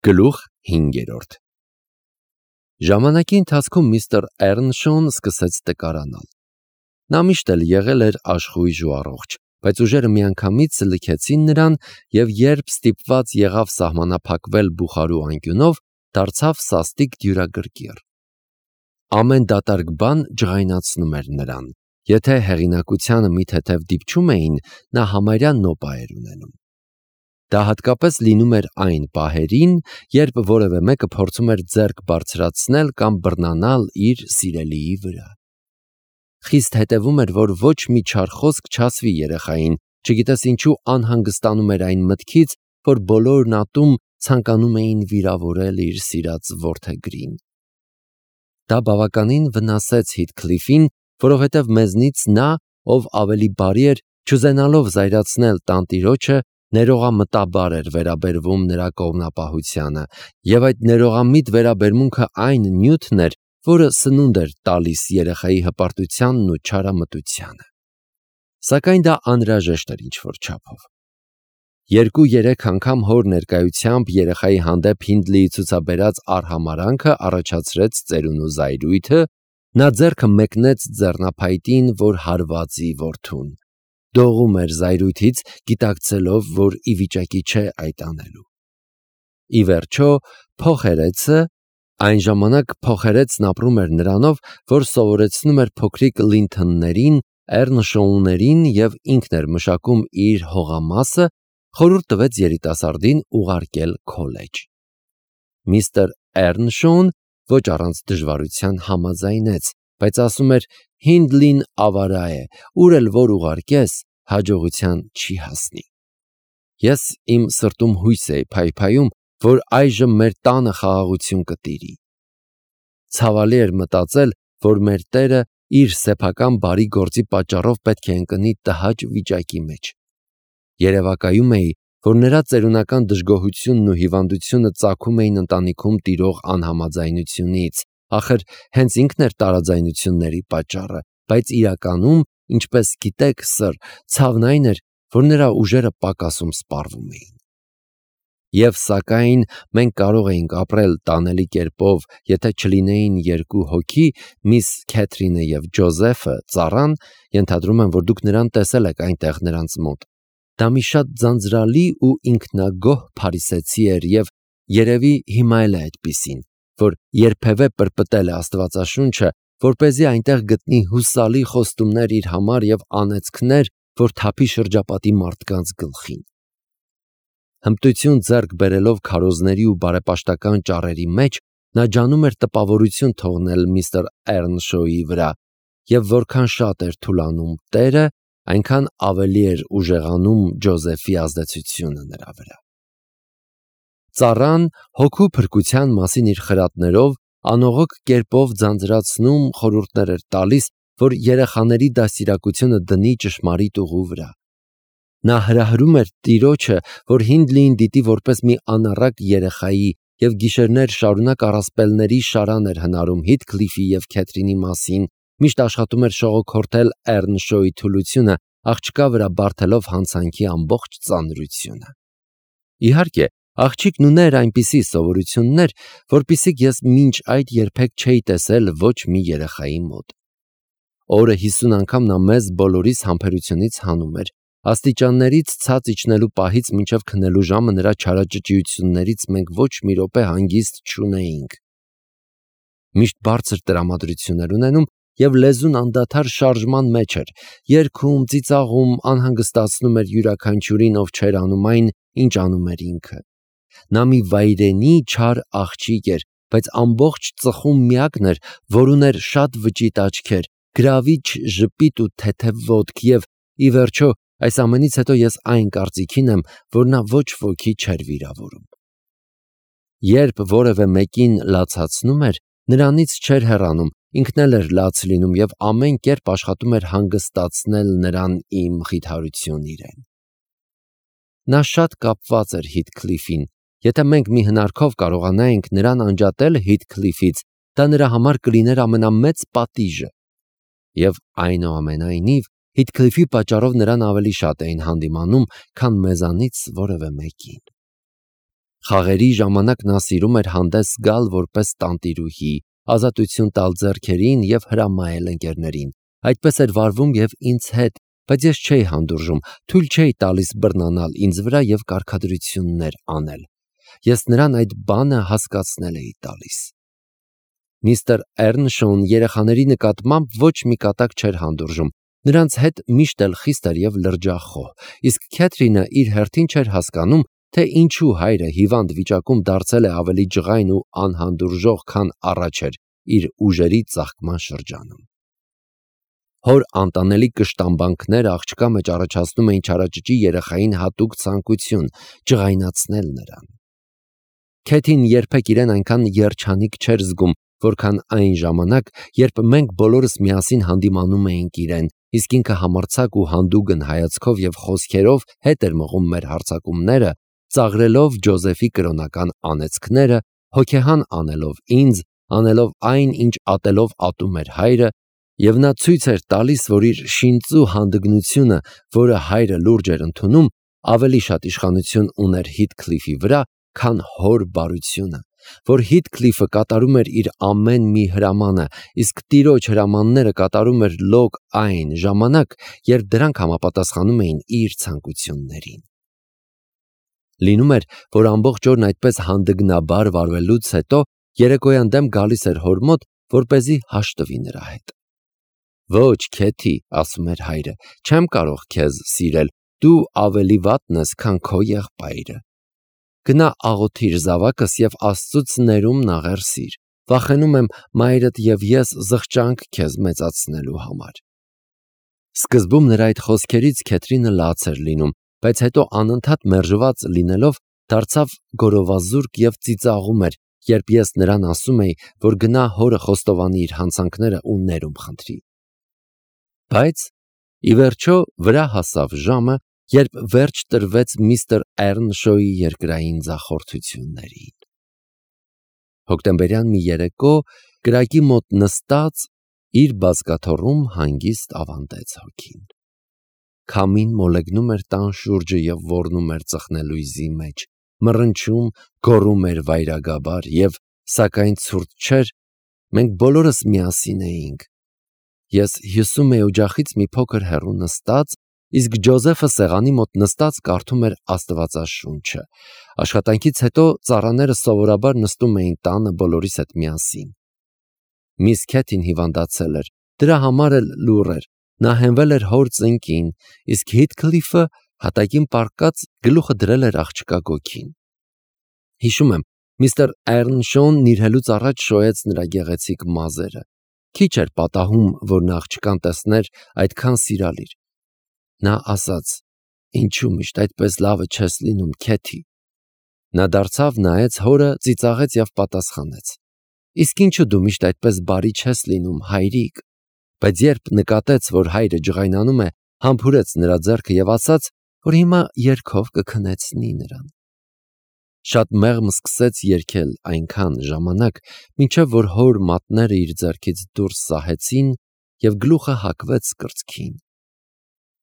Գլուխ 5. Ժամանակի ընթացքում միստր Էռնշոուն սկսեց տկարանալ։ Նա միշտ էլ եղել էր աշխույժ ու առողջ, բայց ուժերը միանգամից լքեցին նրան, և երբ ստիպված եղավ սահմանափակվել բուխարու անկյունով, դարձավ սաստիկ դյուրագրգիռ։ Ամեն դատարկ բան ջղայնացնում էր նրան։ Եթե հեղինակությանը մի թեթև դիպչում էին, նա համարյա նոպա էր ունենում։ Դա հատկապես լինում էր այն պահերին, երբ որևէ մեկը փորձում էր ձեռք բարձրացնել կամ բռնանալ իր սիրելիի վրա։ Խիստ հետևում էր, որ ոչ մի չար խոսք չասվի երեխային, չգիտես ինչու անհանգստանում էր այն մտքից, որ բոլորն ատում ցանկանում էին վիրավորել իր սիրած որդեգրին։ Դա բավականին վնասեց Հիթքլիֆին, որովհետև մեզնից նա, ով ավելի բարի էր, չուզենալով զայրացնել տանտիրոջը, ներողամտաբար էր վերաբերվում նրա կողմնապահությանը, և այդ ներողամիտ վերաբերմունքը այն նյութն էր, որը սնունդ էր տալիս երեխայի հպարտությանն ու չարամտությանը։ Սակայն դա անհրաժեշտ էր ինչ-որ չափով։ 2-3 անգամ հոր ներկայությամբ երեխայի հանդեպ Հինդլիի ցուցաբերած արհամարհանքը առաջացրեց ծերունու զայրույթը, նա ձեռքը մեկնեց ձեռնափայտին, որ հարվածի որդուն։ Դողում էր զայրույթից, գիտակցելով, որ ի վիճակի չէ այդ անելու։ Ի վերջո, փոխերեցը, այն ժամանակ փոխերեցն ապրում էր նրանով, որ սովորեցնում էր փոքրիկ Լինթոններին, Էռնշոուներին և ինքն էր մշակում իր հողամասը, խորհուրդ տվեց երիտասարդին ուղարկել քոլեջ։ Միստր Էռնշոուն ոչ առանց դժվարության համաձայնեց, բայց ասում էր. Հինդլին ավարա է, ուր էլ որ ուղարկես, հաջողության չի հասնի։ Ես իմ սրտում հույս էի փայփայում, որ այժմ մեր տանը խաղաղություն կտիրի։ Ցավալի էր մտածել, որ մեր Տերը իր սեփական բարի գործի պատճառով պետք է ընկնի տհաճ վիճակի մեջ։ Երևակայում էի, որ նրա ծերունական դժգոհությունն ու հիվանդությունը ծագում էին ընտանիքում տիրող անհամաձայնությունից, ախր հենց ինքն էր տարաձայնությունների պատճառը, բայց իրականում, ինչպես գիտեք, սըր, ցավն այն էր, որ նրա ուժերը պակասում սպառվում էին։ Եվ սակայն մենք կարող էինք ապրել տանելի կերպով, եթե չլինեին 2 հոգի, միս Քեթրինը և Ջոզեֆը, ծառան, ենթադրում եմ, որ դուք նրան տեսել եք այնտեղ նրանց մոտ։ Դա մի շատ ձանձրալի ու ինքնագոհ փարիսեցի էր և երևի հիմա էլ է այդպիսին, որ երբևէ պրպտել է Աստվածաշունչը, որպեսզի այնտեղ գտնի հուսալի խոստումներ իր համար և անեծքներ, որ թափի շրջապատի մարդկանց գլխին։ Հմտություն ձեռք բերելով քարոզների ու բարեպաշտական ճառերի մեջ, նա ջանում էր տպավորություն թողնել միստր Էռնշոուի վրա, և որքան շատ էր թուլանում Տերը, այնքան ավելի էր ուժեղանում Ջոզեֆի ազդեցությունը նրա վրա։ Ծառան հոգու փրկության մասին իր խրատներով անողոք կերպով ձանձրացնում խորհուրդներ էր տալիս, որ երեխաների դաստիարակությունը դնի ճշմարիտ ուղու վրա։ Նա հրահրում էր Տիրոջը, որ Հինդլիին դիտի որպես մի անառակ երեխայի և գիշերներ շարունակ առասպելների շարան էր հնարում Հիթքլիֆի և Քեթրինի մասին, միշտ աշխատում էր շողոքորթել Էռնշոուի թուլությունը, աղջկա վրա բարդելով հանցանքի ամբողջ ծանրությունը։ Իհարկե, աղջիկն ուներ այնպիսի սովորություններ, որպիսիք ես մինչ այդ երբեք չէի տեսել ոչ մի երեխայի մոտ։ Օրը 50 անգամ նա մեզ բոլորիս համբերությունից հանում էր, աստիճաններից ցած իջնելու պահից մինչև քնելու ժամը նրա չարաճճիություններից մենք ոչ մի րոպե հանգիստ չունեինք։ Միշտ բարձր տրամադրություն էր ունենում և լեզուն անդադար շարժման մեջ էր, երգում, ծիծաղում, անհանգստացնում էր յուրաքանչյուրին, ով չէր անում այն, ինչ անում էր ինքը։ Նա մի վայրենի չար աղջիկ էր, բայց ամբողջ ծխում միակն էր, որ ուներ շատ վճիտ աչքեր, գրավիչ ժպիտ ու թեթև ոտք և, ի վերջո, այս ամենից հետո ես այն կարծիքին եմ, որ նա ոչ ոքի չէր վիրավորում։ Երբ որևէ մեկին լացացնում էր, նրանից չէր հեռանում, ինքն էլ էր լաց լինում և ամեն կերպ աշխատում էր հանգստացնել նրան ի մխիթարություն իրեն։ Նա շատ կապված էր Հիթքլիֆին։ Եթե մենք մի հնարքով կարողանայինք նրան անջատել Հիթքլիֆից, դա նրա համար կլիներ ամենամեծ պատիժը։ Եվ այնուամենայնիվ, Հիթքլիֆի պատճառով նրան ավելի շատ էին հանդիմանում, քան մեզանից որևէ մեկին։ Խաղերի ժամանակ նա սիրում էր հանդես գալ որպես տանտիրուհի, ազատություն տալ ձեռքերին և հրամայել ընկերներին։ Այդպես էր վարվում և ինձ հետ, բայց ես չէի հանդուրժում, թույլ չէի տալիս բռնանալ ինձ վրա և կարգադրություններ անել։ Ես նրան այդ բանը հասկացնել էի տալիս։ Միստր Էռնշոուն երեխաների նկատմամբ ոչ մի կատակ չէր հանդուրժում, նրանց հետ միշտ էլ խիստ էր և լրջախոհ, իսկ Քեթրինը իր հերթին չէր հասկանում, թե ինչու հայրը հիվանդ վիճակում դարձել է ավելի ջղայն ու անհանդուրժող, քան առաջ էր իր ուժերի ծաղկման շրջանում։ Հոր անտանելի կշտամբանքները աղջկա մեջ առաջացնում էին չարաճճի երեխային հատուկ ցանկություն ջղայնացնել նրան։ Քեթին երբեք իրեն այնքան երջանիկ չէր զգում, որքան այն ժամանակ, երբ մենք բոլորս միասին հանդիմանում էինք իրեն, իսկ ինքը համարձակ ու հանդուգն հայացքով և խոսքերով հետ էր մղում մեր հարձակումները, ծաղրելով Ջոզեֆի կրոնական անեծքները, հոգեհան անելով ինձ, անելով այն, ինչ ատելով ատում էր հայրը, և նա ցույց էր տալիս, որ իր շինծու հանդգնությունը, որը հայրը լուրջ էր ընդունում, ավելի շատ իշխանություն ուներ Հիթքլիֆի վրա, քան հոր բարությունը, որ Հիթքլիֆը կատարում էր իր ամեն մի հրամանը, իսկ տիրոջ հրամանները կատարում էր լոկ այն ժամանակ, երբ դրանք համապատասխանում էին իր ցանկություններին։ Լինում էր, որ ամբողջ օրն այդպես հանդգնաբար վարվելուց հետո երեկոյան դեմ գալիս էր հոր մոտ, որպեսզի հաշտվի նրա հետ։ «Ոչ, Քեթի», ասում էր հայրը, «չեմ կարող քեզ սիրել, դու ավելի վատն ես, քան քո եղբայրը։ Գնա աղոթիր զավակս և Աստծուց ներումն աղերսիր, վախենում եմ մայրդ և ես զղջանք քեզ մեծացնելու համար»։ Սկզբում նրա այդ խոսքերից Քեթրինը լաց էր լինում, բայց հետո անընդհատ մերժված լինելով դարձավ գորովազուրկ և ծիծաղում էր, երբ ես նրան ասում էի, որ գնա հորը խոստովանի իր հանցանքները ու ներում խնդրի։ Բայց ի վերջո վրա հասավ ժամը, երբ վերջ տրվեց միստր Էռնշոուի երկրային ձախորդություններին։ Հոկտեմբերյան մի երեկո կրակի մոտ նստած իր բազկաթոռում հանգիստ ավանդեց հոգին։ Քամին մոլեգնում էր տան շուրջը և ոռնում էր ծխնելույզի մեջ, մռնչում, գոռում էր վայրագաբար և, սակայն ցուրտ չէր, մենք բոլորս միասին էինք։ Ես հյուսում էի օջախից մի փոքր հեռու նստած, իսկ Ջոզեֆը սեղանի մոտ նստած կարդում էր Աստվածաշունչը։ Աշխատանքից հետո ծառաները սովորաբար նստում էին տանը բոլորիս հետ միասին։ Միս Քեթին հիվանդացել էր, դրա համար էլ լուռ էր, նա հենվել էր հոր ծնկին, իսկ Հիթքլիֆը հատակին պառկած գլուխը դրել էր աղջկա գոգին։ Հիշում եմ, միստր Էռնշոուն նիրհելուց առաջ շոյեց նրա գեղեցիկ մազերը։ Քիչ էր պատահում, որ նա աղջկան տեսներ այդքան սիրալիր։ Նա ասաց. «Ինչու միշտ այդպես լավը չես լինում, Քեթի»։ Նա դարձավ, նայեց հորը, ծիծաղեց և պատասխանեց. «Իսկ ինչու դու միշտ այդպես բարի չես լինում, հայրիկ»։ Բայց երբ նկատեց, որ հայրը ջղայնանում է, համբուրեց նրա ձեռքը և ասաց, որ հիմա երգով կքնեցնի նրան։ Շատ մեղմ սկսեց երգել այնքան ժամանակ, մինչև որ հոր մատները իր ձեռքից դուրս սահեցին և գլուխը հակվեց կրծքին։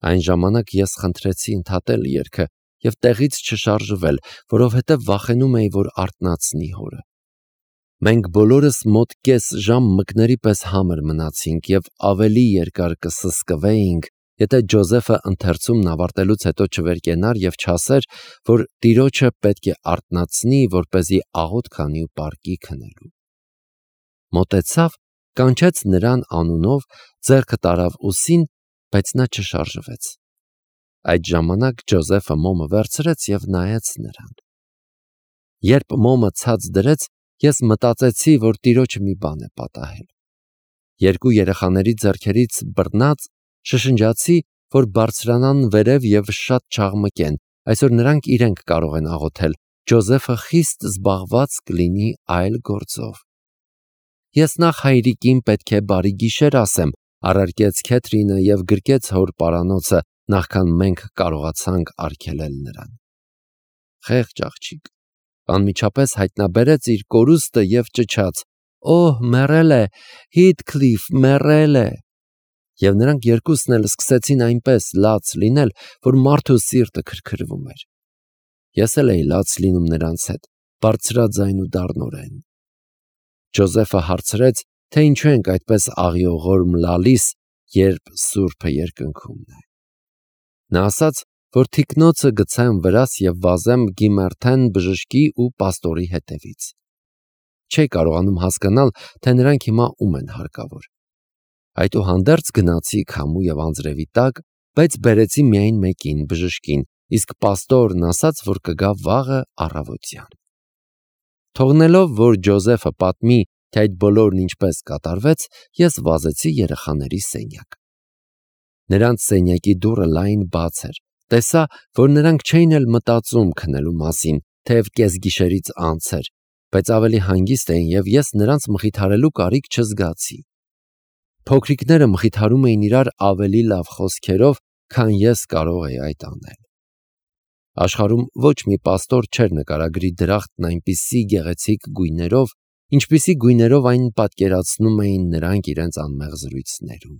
Այն ժամանակ ես խնդրեցի ընդհատել երգը և տեղից չշարժվել, որովհետև վախենում էի, որ արթնացնի հորը։ Մենք բոլորս մոտ կես ժամ մկների պես համր մնացինք և ավելի երկար կսսկվեինք, եթե Ջոզեֆը ընթերցումն ավարտելուց հետո չվերկենար և չասեր, որ տիրոջը պետք է արթնացնի, որպեսզի աղոթք անի ու պառկի քնելու։ Մոտեցավ, կանչեց նրան անունով, ձեռքը տարավ ուսին, բայց նա չշարժվեց։ Այդ ժամանակ Ջոզեֆը մոմը վերցրեց և նայեց նրան։ Երբ մոմը ցած դրեց, ես մտածեցի, որ տիրոջը մի բան է պատահել։ Երկու երեխաների ձեռքերից բռնած շշնջացի, որ բարձրանան վերև և շատ չաղմկեն, այսօր նրանք իրենք կարող են աղոթել, Ջոզեֆը խիստ զբաղված կլինի այլ գործով։ Ես նախ հայրիկին պետք է բարի գիշեր ասեմ, առարկեց Քեթրինը և գրկեց հոր պարանոցը, նախքան մենք կարողացանք արգելել նրան։ Խեղճ աղջիկ, անմիջապես հայտնաբերեց իր կորուստը և ճչաց. «Օհ, մեռել է, Հիթքլիֆ, մեռել է»։ Եվ նրանք երկուսն էլ սկսեցին այնպես լաց լինել, որ մարդու սիրտը քրքրվում էր։ Ես էլ էի լաց լինում նրանց հետ, բարձրաձայն ու դառնորեն։ Ջոզեֆը հարցրեց, թե ինչու ենք այդպես աղիողոր մլալիս, երբ Սուրբը երկնքում է։ Նա ասաց, որ թիկնոցը գցեմ վրաս և վազեմ գիմերթեն բժշկի ու պաստորի հետևից։ Չէի կարողանում հասկանալ, թե նրանք հիմա ում են հարկավոր։ Այդուհանդերձ գնացի քամու և անձրևի տակ, բայց բերեցի միայն մեկին բժշկին, իսկ պաստորն ասաց, որ կգա վաղը առավոտյան։ Թողնելով, որ Ջոզեֆը պատմի, թե այդ բոլորն ինչպես կատարվեց, ես վազեցի երեխաների սենյակ։ Նրանց սենյակի դուռը լայն բաց էր, տեսա, որ նրանք չէին էլ մտածում քնելու մասին, թեև կեսգիշերից անց էր, բայց ավելի հանգիստ էին և ես նրանց մխիթարելու կարիք չզգացի։ Փոքրիկները մխիթարում էին իրար ավելի լավ խոսքերով, քան ես կարող էի այդ անել։ Աշխարհում ոչ մի պաստոր չէր նկարագրի դրախտն այնպիսի գեղեցիկ գույներով, ինչպիսի գույներով այն պատկերացնում էին նրանք իրենց անմեղ զրույցներում։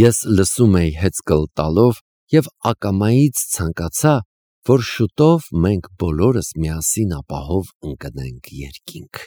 Ես լսում էի հեծկլ տալով և ակամայից ցանկացա, որ շուտով մենք բոլորս միասին ապահով ընկնենք երկինք։